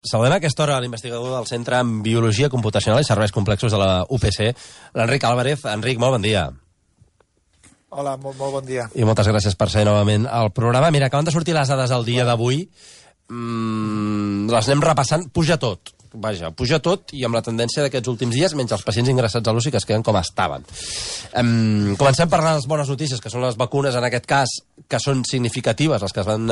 Saludem a aquesta hora l'investigador del Centre en Biologia Computacional i Serveis Complexos de la UPC, l'Enric Álvarez. Enric, molt bon dia. Hola, molt bon dia. I moltes gràcies per ser novament al programa. Mira, acaben de sortir les dades del dia d'avui. Les anem repassant. Puja tot. Vaja, puja tot i amb la tendència d'aquests últims dies, menys els pacients ingressats a l'UCI que es queden com estaven. Comencem per les bones notícies, que són les vacunes, en aquest cas, que són significatives, les que es van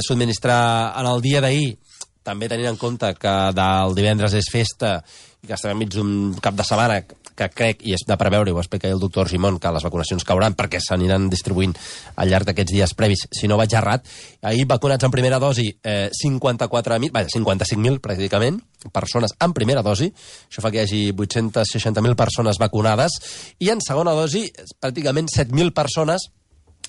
subministrar en el dia d'ahir, també tenint en compte que del divendres és festa i que estem enmig d'un cap de setmana que crec, i és de preveure, i ho explica el doctor Argimon, que les vacunacions cauran perquè s'aniran distribuint al llarg d'aquests dies previs, si no vaig errat. Ahir vacunats en primera dosi 55.000 pràcticament, persones en primera dosi, això fa que hi hagi 860.000 persones vacunades, i en segona dosi pràcticament 7.000 persones,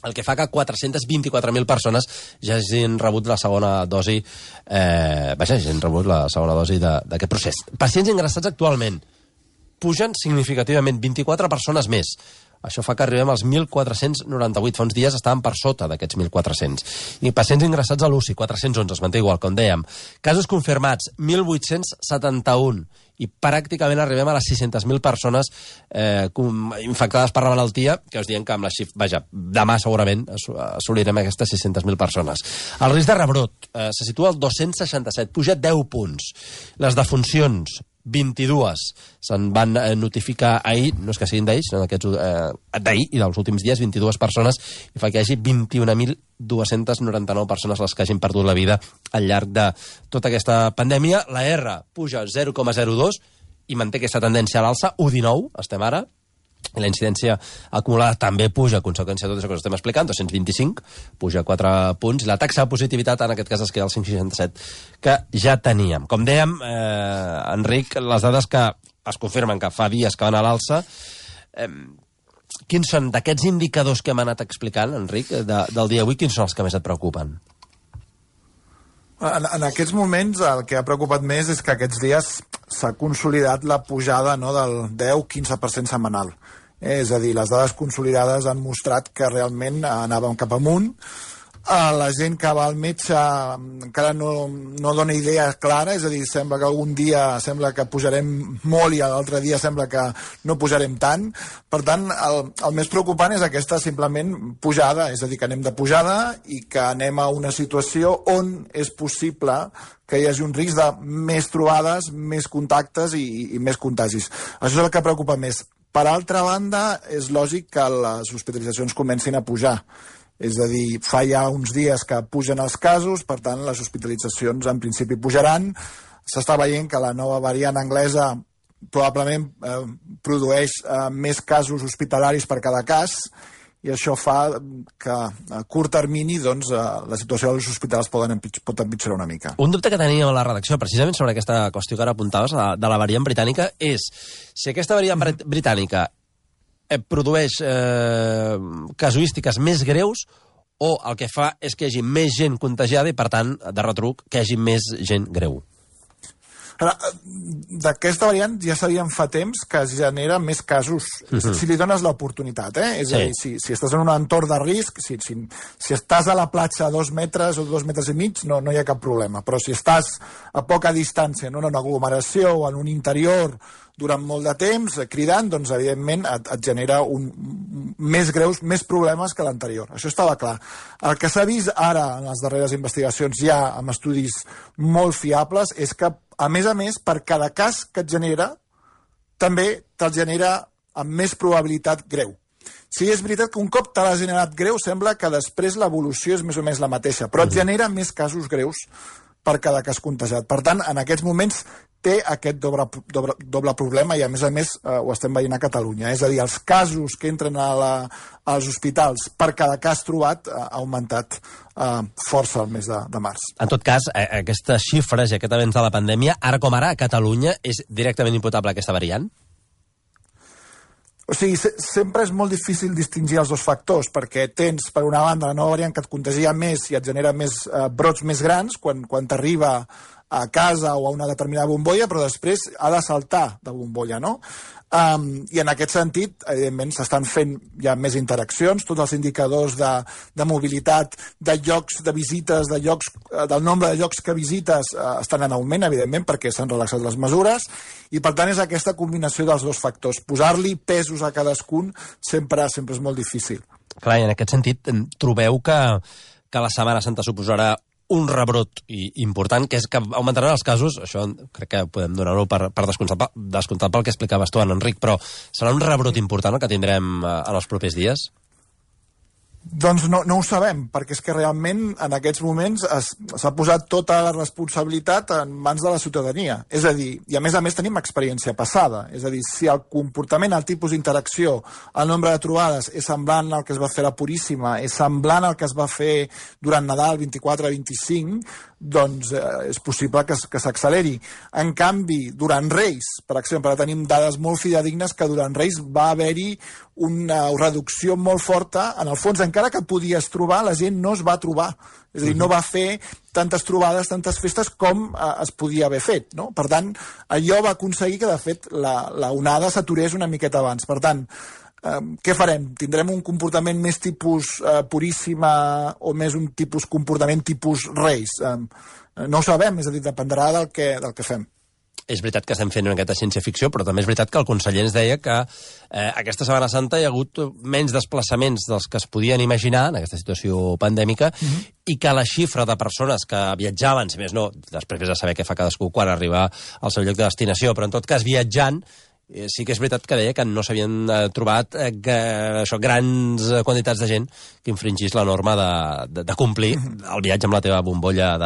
el que fa que 424.000 persones ja hagin rebut la segona dosi, hagin rebut la segona dosi d'aquest procés. Pacients ingressats actualment pugen significativament, 24 persones més. Això fa que arribem als 1.498. Fa uns dies estaven per sota d'aquests 1.400. I pacients ingressats a l'UCI, 411, es manté igual, com dèiem. Casos confirmats, 1.871. I pràcticament arribem a les 600.000 persones infectades per la malaltia, que us diem que amb la xifra... Vaja, demà segurament assolirem aquestes 600.000 persones. El risc de rebrot se situa al 267, puja 10 punts. Les defuncions, 22 se'n van notificar ahir, no és que siguin d'ahir, sinó d'ahir i dels últims dies, 22 persones, i fa que hi hagi 21.299 persones les que hagin perdut la vida al llarg de tota aquesta pandèmia. La R puja 0,02 i manté aquesta tendència a l'alça, 1,19 estem ara, i la incidència acumulada també puja a conseqüència de tot això que us estem explicant, 225, puja 4 punts, i la taxa de positivitat en aquest cas es queda al 5,67, que ja teníem. Com dèiem, Enric, les dades que es confirmen que fa dies que van a l'alça, quins són, d'aquests indicadors que hem anat explicant, Enric, del dia d'avui, quins són els que més et preocupen? En aquests moments el que ha preocupat més és que aquests dies s'ha consolidat la pujada, no, del 10-15% setmanal. És a dir, les dades consolidades han mostrat que realment anàvem cap amunt. La gent que va al metge encara no dona idea clara, és a dir, sembla que algun dia sembla que pujarem molt i l'altre dia sembla que no pujarem tant. Per tant, el més preocupant és aquesta simplement pujada, és a dir, que anem de pujada i que anem a una situació on és possible que hi hagi un risc de més trobades, més contactes i més contagis. Això és el que preocupa més. Per altra banda, és lògic que les hospitalitzacions comencin a pujar. És a dir, fa ja uns dies que pugen els casos, per tant, les hospitalitzacions en principi pujaran. S'està veient que la nova variant anglesa probablement produeix més casos hospitalaris per cada cas, i això fa que a curt termini doncs, la situació dels hospitals pot empitjorar una mica. Un dubte que teníem a la redacció, precisament sobre aquesta qüestió que ara apuntaves, de la variant britànica, és si aquesta variant britànica produeix casuístiques més greus o el que fa és que hi hagi més gent contagiada i, per tant, de retruc, que hi hagi més gent greu. D'aquesta variant ja sabíem fa temps que es genera més casos si li dones l'oportunitat, és a dir, si estàs en un entorn de risc, si estàs a la platja a 2 metres o 2 metres i mig, no hi ha cap problema, però si estàs a poca distància en una aglomeració o en un interior durant molt de temps, cridant, doncs evidentment et genera més greus, més problemes que l'anterior. Això estava clar. El que s'ha vist ara en les darreres investigacions, ja amb estudis molt fiables, és que, a més, per cada cas que et genera, també te'l genera amb més probabilitat greu. Sí, és veritat que un cop te l'ha generat greu, sembla que després l'evolució és més o menys la mateixa, però et genera més casos greus per cada cas contagiat. Per tant, en aquests moments té aquest doble problema i, a més, ho estem veient a Catalunya. És a dir, els casos que entren als hospitals per cada cas trobat ha augmentat força el mes de març. En tot cas, aquestes xifres i aquest avenç de la pandèmia, ara com ara, a Catalunya, és directament imputable a aquesta variant? O sigui, sempre és molt difícil distingir els dos factors, perquè tens, per una banda, la nova variant que et contagia més i et genera més brots més grans quan t'arriba a casa o a una determinada bombolla, però després ha de saltar de bombolla, no? I en aquest sentit, evidentment, s'estan fent ja més interaccions, tots els indicadors de mobilitat, de llocs, de visites, del nombre de llocs que visites estan en augment, evidentment, perquè s'han relaxat les mesures, i per tant és aquesta combinació dels dos factors. Posar-li pesos a cadascun sempre és molt difícil. Clar, i en aquest sentit, trobeu que la Setmana Santa suposarà un rebrot important, que és que augmentaran els casos, això crec que podem donar-ho per descomptat pel que explicaves tu, Enric, però serà un rebrot important el que tindrem en els propers dies? Doncs no ho sabem, perquè és que realment en aquests moments s'ha posat tota la responsabilitat en mans de la ciutadania. És a dir, i a més tenim experiència passada, és a dir, si el comportament, el tipus d'interacció, el nombre de trobades és semblant al que es va fer a la Puríssima, és semblant al que es va fer durant Nadal 24-25, doncs és possible que s'acceleri. En canvi, durant Reis, per exemple, tenim dades molt fidedignes que durant Reis va haver-hi una reducció molt forta. En el fons, encara que podies trobar, la gent no es va trobar. És a dir, no va fer tantes trobades, tantes festes com es podia haver fet, no? Per tant, allò va aconseguir que, de fet, la onada s'aturés una miqueta abans. Per tant, què farem? Tindrem un comportament més tipus Puríssima o més un comportament tipus Reis? No ho sabem, és a dir, dependrà del que fem. És veritat que estem fent una miqueta ciència-ficció, però també és veritat que el conseller ens deia que aquesta Setmana Santa hi ha hagut menys desplaçaments dels que es podien imaginar en aquesta situació pandèmica i que la xifra de persones que viatjaven, si més no, després de saber què fa cadascú quan arriba al seu lloc de destinació, però en tot cas viatjant, sí que és veritat que deia que no s'havien trobat grans quantitats de gent que infringís la norma de complir el viatge amb la teva bombolla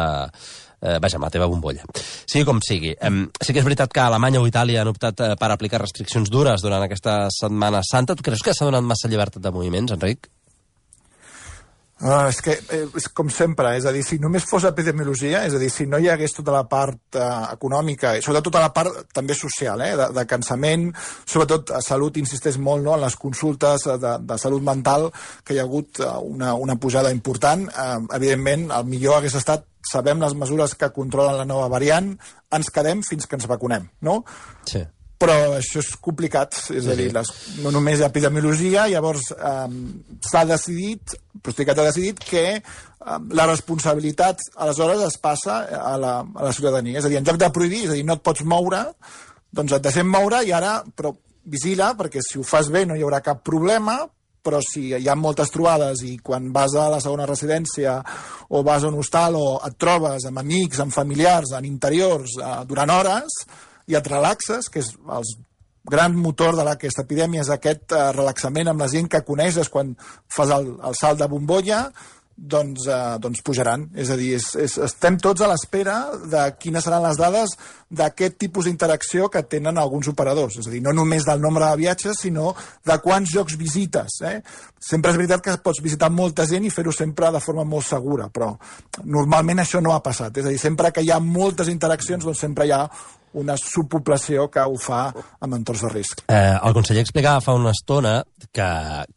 amb la teva bombolla. Sigui com sigui. Sí que és veritat que Alemanya o Itàlia han optat per aplicar restriccions dures durant aquesta Setmana Santa. Tu creus que s'ha donat massa llibertat de moviments, Enric? És que és com sempre, és a dir, si només fos epidemiologia, és a dir, si no hi hagués tota la part econòmica, i sobretot tota la part també social, de cansament, sobretot a salut, insisteix molt, no, en les consultes de salut mental, que hi ha hagut una pujada important. Evidentment, el millor hagués estat, sabem les mesures que controlen la nova variant, ens quedem fins que ens vacunem, no? Sí. Però això és complicat, és a dir, no només hi ha epidemiologia, llavors s'ha decidit, Procicat ha decidit que la responsabilitat aleshores es passa a la ciutadania, és a dir, en lloc de prohibir, és a dir, no et pots moure, doncs et deixem moure i ara, però vigila, perquè si ho fas bé no hi haurà cap problema, però si hi ha moltes trobades i quan vas a la segona residència o vas a un hostal o et trobes amb amics, amb familiars, en interiors, durant hores, i et relaxes, que és el gran motor d'aquesta epidèmia, és aquest relaxament amb la gent que coneixes quan fas el salt de bombolla, doncs pujaran. És a dir, estem tots a l'espera de quines seran les dades d'aquest tipus d'interacció que tenen alguns operadors. És a dir, no només del nombre de viatges, sinó de quants llocs visites. Sempre és veritat que pots visitar molta gent i fer-ho sempre de forma molt segura, però normalment això no ha passat. És a dir, sempre que hi ha moltes interaccions, doncs sempre hi ha una subpoblació que ho fa amb entorns de risc. El conseller explicava fa una estona que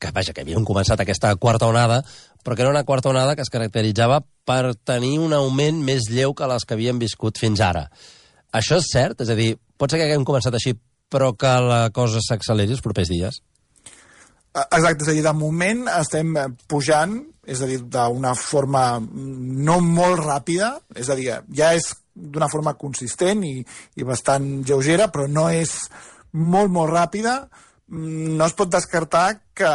havien començat aquesta quarta onada, però que era una quarta onada que es caracteritzava per tenir un augment més lleu que les que havíem viscut fins ara. Això és cert? És a dir, pot ser que haguem començat així, però que la cosa s'acceleri els propers dies? Exacte, és a dir, de moment estem pujant, és a dir, d'una forma no molt ràpida, és a dir, ja és d'una forma consistent i bastant lleugera, però no és molt, molt ràpida. No es pot descartar que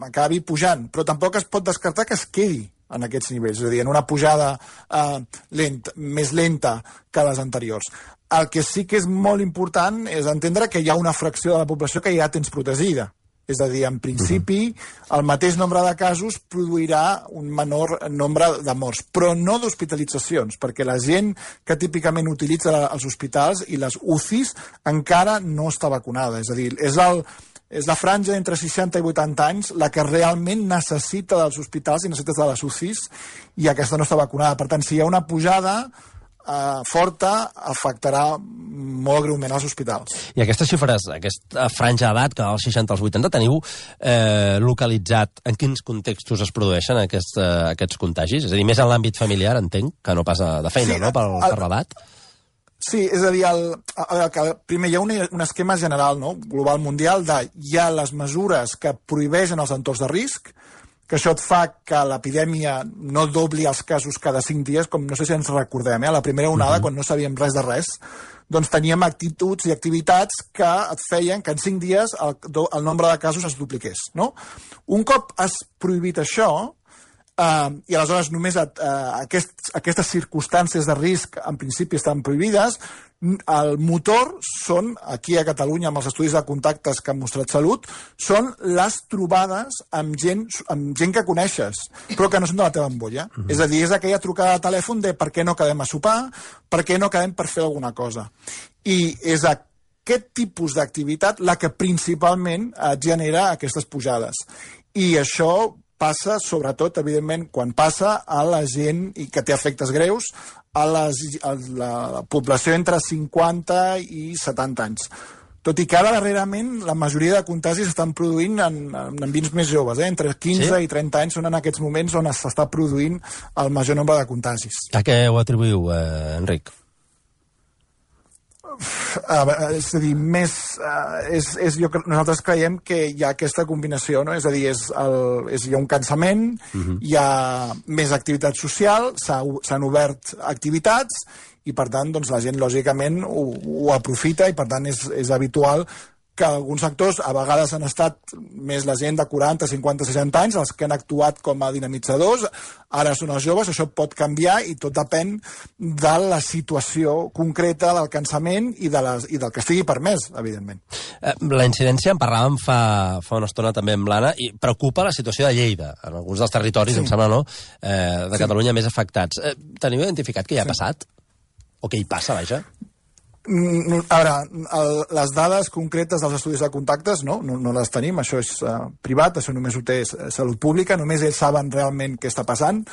acabi pujant, però tampoc es pot descartar que es quedi en aquests nivells, és a dir, en una pujada més lenta que les anteriors. El que sí que és molt important és entendre que hi ha una fracció de la població que ja tens protegida. És a dir, en principi, el mateix nombre de casos produirà un menor nombre de morts, però no d'hospitalitzacions, perquè la gent que típicament utilitza els hospitals i les UCIs encara no està vacunada. És a dir, és la franja entre 60 i 80 anys la que realment necessita dels hospitals i necessita de les UCIs, i aquesta no està vacunada. Per tant, si hi ha una pujada forta, afectarà molt greument als hospitals. I aquestes xifres, aquesta franja d'edat, que als 60 als 80, teniu localitzat en quins contextos es produeixen aquests contagis? És a dir, més en l'àmbit familiar, entenc, que no pas de feina, no?, per l'edat? Sí, és a dir, primer hi ha un esquema general, no?, global mundial, hi ha les mesures que prohibeixen els entorns de risc, que això et fa que l'epidèmia no dobli els casos cada 5 dies, com no sé si ens recordem, a la primera onada, quan no sabíem res de res, doncs teníem actituds i activitats que et feien que en 5 dies el nombre de casos es dupliqués, no? Un cop has prohibit això, i aleshores només aquestes circumstàncies de risc en principi estan prohibides, el motor són, aquí a Catalunya amb els estudis de contactes que han mostrat Salut, són les trobades amb gent que coneixes, però que no són de la teva ambolla. És a dir, és aquella trucada de telèfon de per què no quedem a sopar, per què no quedem per fer alguna cosa. I és aquest tipus d'activitat la que principalment genera aquestes pujades. I això passa, sobretot, evidentment, quan passa a la gent i que té efectes greus, a la població entre 50 i 70 anys. Tot i que ara, darrerament, la majoria de contagis estan produint en ambients més joves, entre 15 i 30 anys són en aquests moments on s'està produint el major nombre de contagis. A què ho atribuïu, Enric? És a dir, nosaltres creiem que hi ha aquesta combinació, no? És a dir, hi ha un cansament, hi ha més activitat social, s'han obert activitats i, per tant, doncs, la gent, lògicament, ho aprofita i, per tant, és habitual que alguns sectors a vegades han estat més la gent de 40, 50, 60 anys, els que han actuat com a dinamitzadors, ara són els joves, això pot canviar i tot depèn de la situació concreta del cansament i del que estigui permès, evidentment. La incidència, en parlàvem fa una estona també amb l'Anna, i preocupa la situació de Lleida, en alguns dels territoris, em sembla, no?, de Catalunya més afectats. Teniu identificat què hi ha passat? O què hi passa, vaja? A veure, les dades concretes dels estudis de contactes no les tenim, això és privat, això només ho té Salut Pública, només ells saben realment què està passant,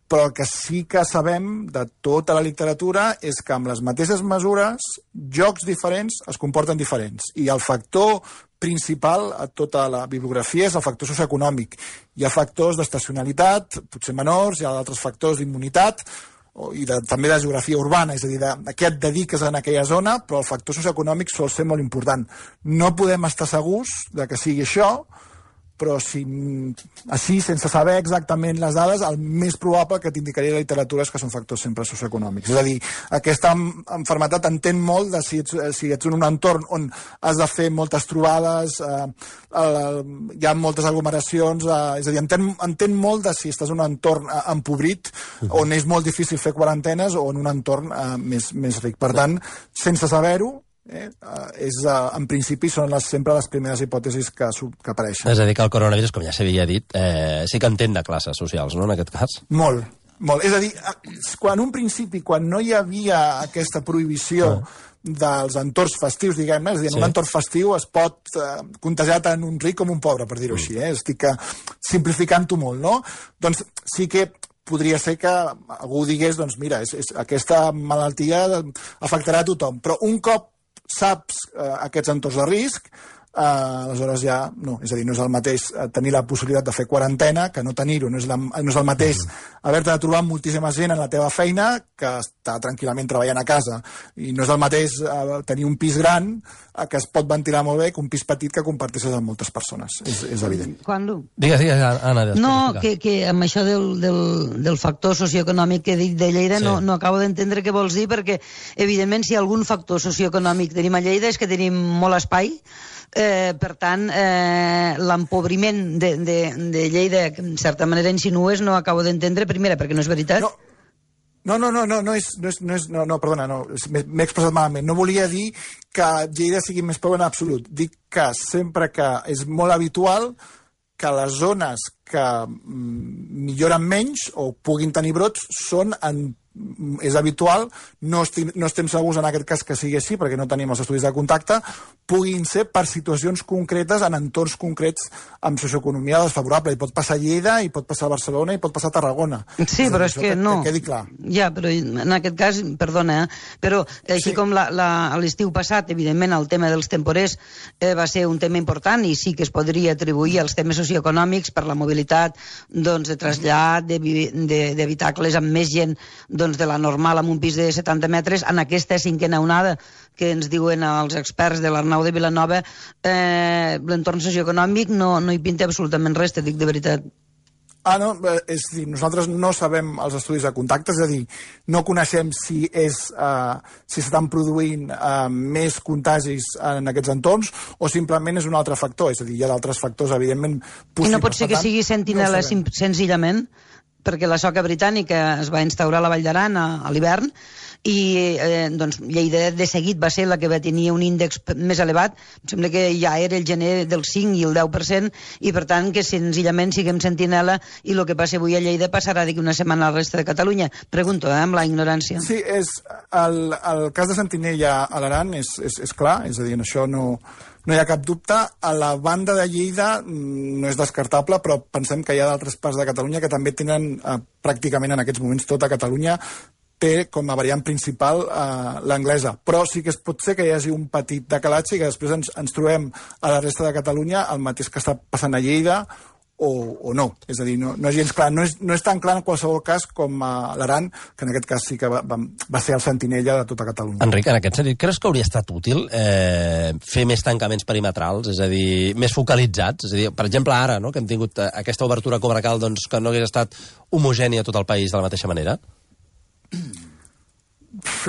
però el que sí que sabem de tota la literatura és que amb les mateixes mesures, jocs diferents es comporten diferents, i el factor principal a tota la bibliografia és el factor socioeconòmic. Hi ha factors d'estacionalitat, potser menors, hi ha altres factors d'immunitat, i també de geografia urbana, és a dir, a què et dediques en aquella zona, però el factor socioeconòmic sol ser molt important. No podem estar segurs de que sigui això, però així, sense saber exactament les dades, el més probable que t'indicaria la literatura és que són factors sempre socioeconòmics. És a dir, aquesta malaltia entén molt de si ets en un entorn on has de fer moltes trobades, hi ha moltes aglomeracions, és a dir, entén molt de si estàs en un entorn empobrit, on és molt difícil fer quarantenes, o en un entorn més ric. Per tant, sense saber-ho, en principi són sempre les primeres hipòtesis que apareixen. És a dir, que el coronavirus, com ja s'havia dit, sí que entén de classes socials, no?, en aquest cas. Molt. És a dir, quan no hi havia aquesta prohibició dels entorns festius, diguem-ne, és a dir, en un entorn festiu es pot contagiar tant un ric com un pobre, per dir-ho així, estic simplificant-ho molt, no? Doncs sí que podria ser que algú digués, doncs mira, aquesta malaltia afectarà a tothom, però un cop saps aquests entorns de risc, aleshores ja no. És a dir, no és el mateix tenir la possibilitat de fer quarantena que no tenir-ho. No és el mateix haver-te de trobar amb moltíssima gent en la teva feina que estar tranquil·lament treballant a casa. I no és el mateix tenir un pis gran que es pot ventilar molt bé que un pis petit que comparteixes amb moltes persones. És evident. Digues, Anna. No, que amb això del factor socioeconòmic que he dit de Lleida no acabo d'entendre què vols dir, perquè evidentment si algun factor socioeconòmic tenim a Lleida és que tenim molt espai. Per tant, l'empobriment de Lleida, que en certa manera insinues, no acabo d'entendre, primera, perquè no és veritat. Perdona, m'he expressat malament. No volia dir que Lleida sigui més pobre en absolut. Dic que sempre que és molt habitual que les zones que milloren menys o puguin tenir brots són en és habitual, no estem segurs en aquest cas que sigui així, perquè no tenim els estudis de contacte, puguin ser per situacions concretes, en entorns concrets, amb socioeconomia desfavorable. I pot passar a Lleida, i pot passar a Barcelona, i pot passar a Tarragona. Sí, però és que no. Que quedi clar. Ja, però en aquest cas, perdona, però així com l'estiu passat, evidentment, el tema dels temporers va ser un tema important i sí que es podria atribuir als temes socioeconòmics per la mobilitat, doncs, de trasllat, d'habitacles amb més gent, doncs, de la normal amb un pis de 70 metres. En aquesta cinquena onada que ens diuen els experts de l'Arnau de Vilanova, l'entorn socioeconòmic no hi pinta absolutament res, te dic de veritat. No, és a dir, nosaltres no sabem els estudis de contacte, és a dir, no coneixem si s'estan produint més contagis en aquests entorns o simplement és un altre factor, és a dir, hi ha d'altres factors, evidentment, possibles. I no pot ser que sigui sentinel·la senzillament? Perquè la soca britànica es va instaurar a la Vall d'Aran a l'hivern i doncs, Lleida de seguit va ser la que va tenir un índex més elevat. Em sembla que ja era el gener del 5 i el 10%, i per tant que senzillament siguem sentinel·la i el que passa avui a Lleida passarà d'aquí una setmana a la resta de Catalunya. Pregunto, amb la ignorància. Sí, el cas de sentinella a l'Aran és clar, és a dir, en això no hi ha cap dubte. A la banda de Lleida no és descartable, però pensem que hi ha d'altres parts de Catalunya que també tenen pràcticament en aquests moments tota Catalunya té com a variant principal l'anglesa. Però sí que pot ser que hi hagi un petit decalatge i que després ens trobem a la resta de Catalunya el mateix que està passant a Lleida o no. És a dir, no és gens clar. No és tan clar en qualsevol cas com a l'Aran, que en aquest cas sí que va ser el sentinella de tota Catalunya. Enric, en aquest sentit, creus que hauria estat útil fer més tancaments perimetrals, és a dir, més focalitzats? És a dir, per exemple, ara, no?, que hem tingut aquesta obertura comarcal, doncs, que no hagués estat homogènia a tot el país de la mateixa manera?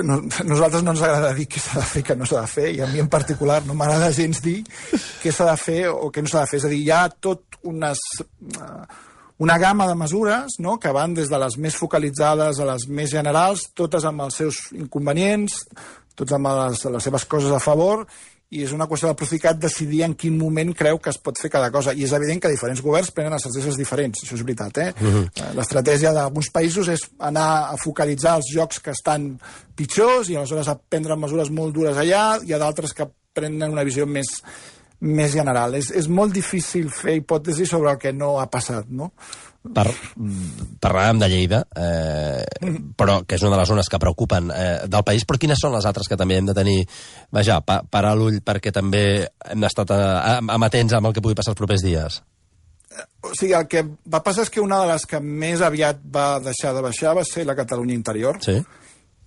Nosaltres no ens agrada dir què s'ha de fer i què no s'ha de fer, i a mi en particular no m'agrada gens dir què s'ha de fer o què no s'ha de fer. És a dir, hi ha tot una gamma de mesures, no?, que van des de les més focalitzades a les més generals, totes amb els seus inconvenients, totes amb les seves coses a favor, i és una qüestió del Procicat decidir en quin moment creu que es pot fer cada cosa. I és evident que diferents governs prenen estratègies diferents, això és veritat, L'estratègia d'alguns països és anar a focalitzar els llocs que estan pitjors i aleshores a prendre mesures molt dures allà. Hi ha d'altres que prenen una visió més general. És molt difícil fer hipòtesis sobre el que no ha passat, no? Parlàvem de Lleida, però que és una de les zones que preocupen del país, però quines són les altres que també hem de tenir, vaja, parar l'ull perquè també hem d'estar amatents amb el que pugui passar els propers dies? O sigui, el que va passar és que una de les que més aviat va deixar de baixar va ser la Catalunya interior. Sí.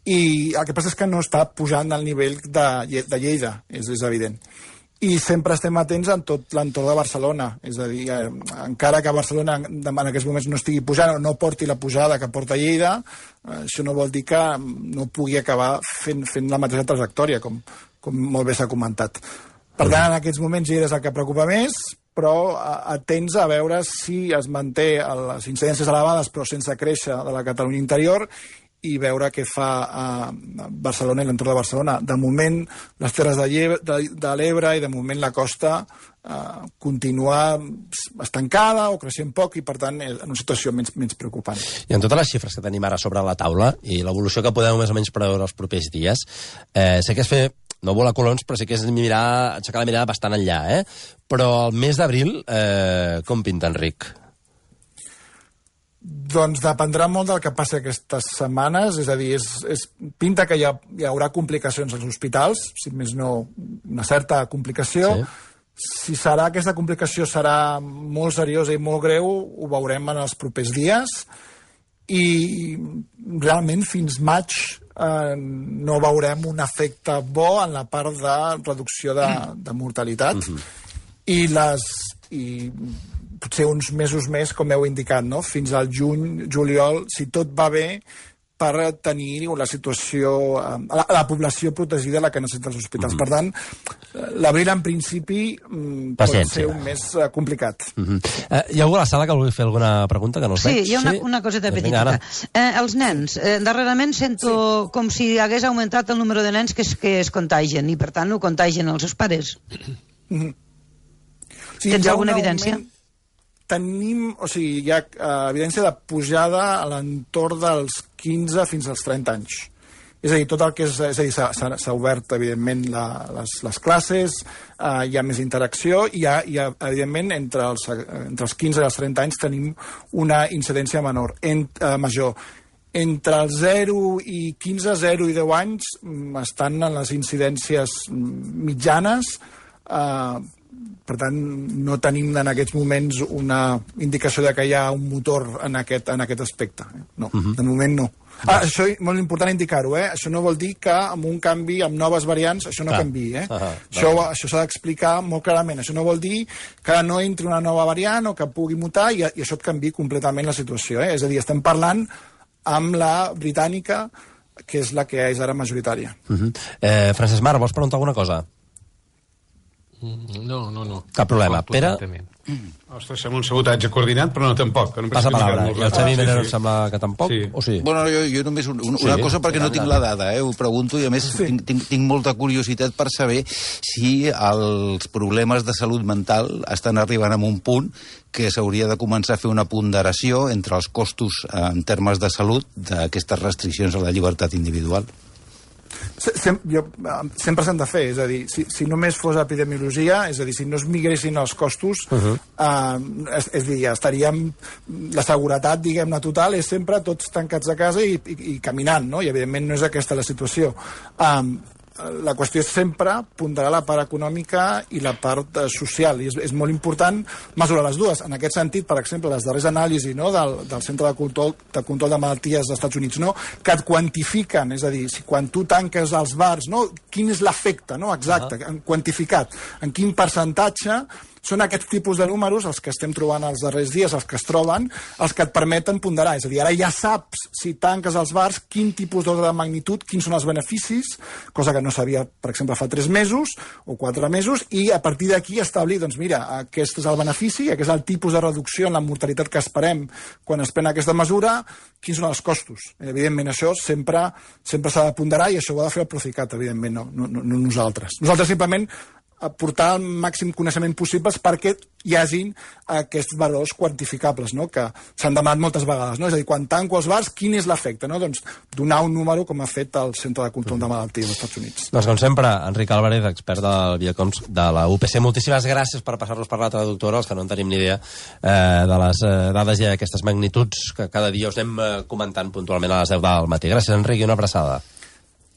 I el que passa és que no està pujant al nivell de Lleida, és evident. I sempre estem atents en tot l'entorn de Barcelona, és a dir, encara que Barcelona en aquests moments no estigui pujant o no porti la pujada que porta Lleida, això no vol dir que no pugui acabar fent la mateixa trajectòria, com molt bé s'ha comentat. Per tant, en aquests moments Lleida és el que preocupa més, però atents a veure si es manté les incidències elevades però sense créixer de la Catalunya interior, i veure què fa a Barcelona i l'entorn de Barcelona. De moment, les Terres de l'Ebre i de moment la costa continua estancada o creixent poc i, per tant, en una situació menys preocupant. I en totes les xifres que tenim ara sobre la taula i l'evolució que podem més o menys preveure els propers dies, sé que és fer, no volar coloms, però sí que és aixecar la mirada bastant enllà, Però el mes d'abril, com pinta, Enric? Doncs dependrà molt del que passi aquestes setmanes, és a dir, pinta que hi haurà complicacions als hospitals, si més no, una certa complicació. Sí. Si aquesta complicació serà molt seriosa i molt greu, ho veurem en els propers dies, i realment fins maig no veurem un efecte bo en la part de reducció de mortalitat. I potser uns mesos més, com heu indicat, no? Fins al juny, juliol, si tot va bé, per tenir la situació, la població protegida, la que necessita els hospitals. Per tant, l'abril, en principi, pot ser un mes complicat. Hi ha algú a la sala que vulgui fer alguna pregunta que no us veig? Sí, hi ha una coseta petita. Els nens, darrerament sento com si hagués augmentat el número de nens que es contagien, i per tant ho contagien els seus pares. Tens alguna evidència? tenim, o sigui, hi ha evidència de pujada a l'entorn dels 15 fins als 30 anys. És a dir, tot el que és a dir, s'ha obert, evidentment, les classes, hi ha més interacció, i hi ha evidentment, entre els 15 i els 30 anys tenim una incidència major. Entre els 0 i 15, 0 i 10 anys estan en les incidències mitjanes, per tant, no tenim en aquests moments una indicació de que hi ha un motor en aquest aspecte. No, de moment no. Això és molt important indicar-ho, Això no vol dir que amb un canvi, amb noves variants, això no canviï, Això s'ha d'explicar molt clarament. Això no vol dir que no entri una nova variant o que pugui mutar i això et canviï completament la situació, És a dir, estem parlant amb la britànica, que és la que és ara majoritària. Francesc Mar, vols preguntar alguna cosa? No. Cap problema. Pere? Ostres, sembla un sabotatge coordinat, però no tampoc. Passa palabra. I el Xavi Menero em sembla que tampoc? O sí? Bueno, jo només una cosa, perquè no tinc la dada, ho pregunto, i a més tinc molta curiositat per saber si els problemes de salut mental estan arribant a un punt que s'hauria de començar a fer una ponderació entre els costos en termes de salut d'aquestes restriccions a la llibertat individual. Sempre s'han de fer, és a dir, si només fos epidemiologia, és a dir, si no es migressin els costos, és a dir, estaríem... La seguretat, diguem-ne, total, és sempre tots tancats a casa i caminant, no? I, evidentment, no és aquesta la situació. La qüestió és sempre ponderar la part econòmica i la part social, i és molt important mesurar les dues. En aquest sentit, per exemple, les darreres anàlisis del Centre de Control de Malalties dels Estats Units, que et quantifiquen, és a dir, si quan tu tanques els bars, quin és l'efecte exacte, quantificat, en quin percentatge. Són aquests tipus de números, els que estem trobant els darrers dies, els que es troben, els que et permeten ponderar. És a dir, ara ja saps, si tanques els bars, quin tipus d'ordre de magnitud, quins són els beneficis, cosa que no sabia, per exemple, fa 3 mesos o 4 mesos, i a partir d'aquí establir, doncs mira, aquest és el benefici, aquest és el tipus de reducció en la mortalitat que esperem quan es pren aquesta mesura, quins són els costos. Evidentment, això sempre s'ha de ponderar i això ho ha de fer el Procicat, evidentment, no nosaltres. Nosaltres simplement aportar el màxim coneixement possible perquè hi hagin aquests valors quantificables, que s'han demanat moltes vegades. És a dir, quan tanco els bars, quin és l'efecte? Doncs donar un número com ha fet el Centre de Control de Malalties dels Estats Units. Doncs com sempre, Enric Álvarez, expert del Viacons de la UPC, moltíssimes gràcies per passar-nos per la traductora, els que no en tenim ni idea de les dades i aquestes magnituds que cada dia us anem comentant puntualment a les 10 del matí. Gràcies, Enric, i una abraçada.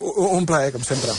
Un plaer, com sempre.